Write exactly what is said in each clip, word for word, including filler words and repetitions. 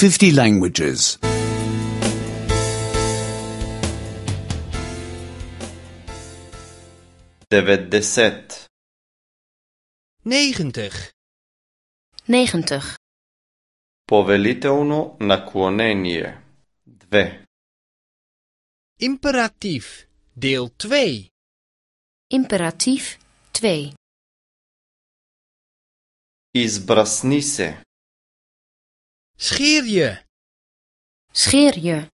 fifty languages. devetdeset. negentig. negentig. Повелително наклонение. две. Imperatief, deel twee. Imperatief twee. Избрасни се. Scheer je. Scheer je.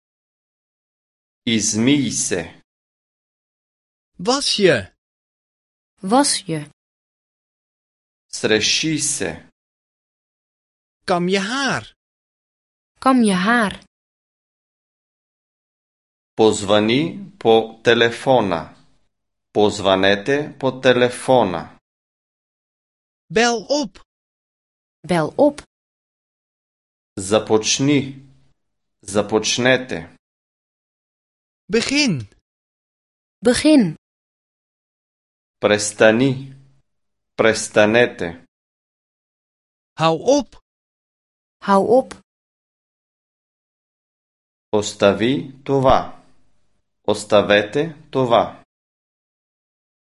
Измий се. Was je. Was je. Среши се. Kam je haar. Kam je haar. Позвани по телефона. Позванете по телефона. Bel op. Bel op. Започни. Започнете. Begin. Begin. Престани. Престанете. Hou op. Hou op. Остави това. Оставете това.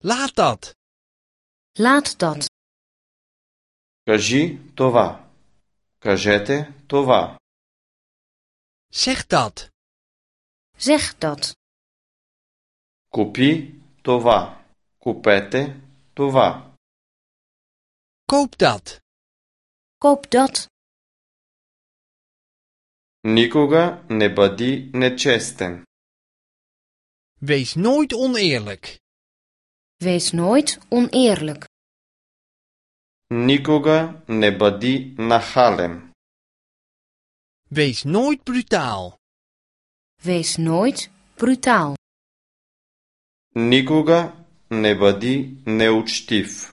Laat dat. Laat dat. Кажи това. Кажете това. Zeg dat. Zeg dat. Купи това. Купете това. Koop dat. Koop dat. Никога не бъди нечестен. Wees nooit oneerlijk. Wees nooit oneerlijk. Никога не бъди нахален. Wees nooit brutaal. Wees nooit brutaal. Никога не бъди неучтив.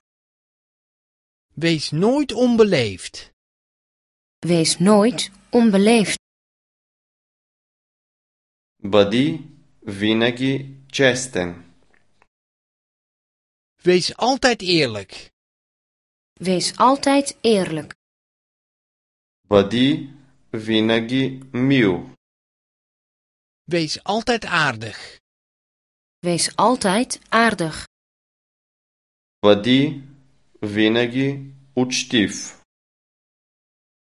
Wees nooit onbeleefd. Wees nooit onbeleefd. Бъди винаги честен. Wees altijd eerlijk. Wees altijd eerlijk. Бъди винаги мил. Wees altijd aardig. Wees altijd aardig. Бъди винаги учтив.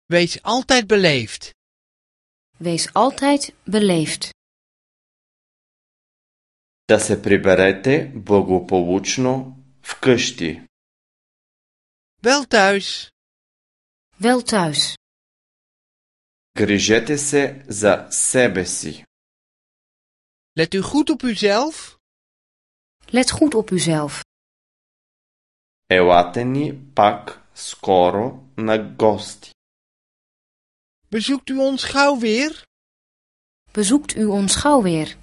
Wees altijd beleefd. Wees altijd beleefd. Да се приберете благополучно вкъщи. Wel thuis. Wel thuis. Грижете се за себе си. Let u goed op uzelf. Let goed op uzelf. Елате ни пак скоро на гости. Bezoekt u ons gauw weer? Bezoekt u ons gauw weer.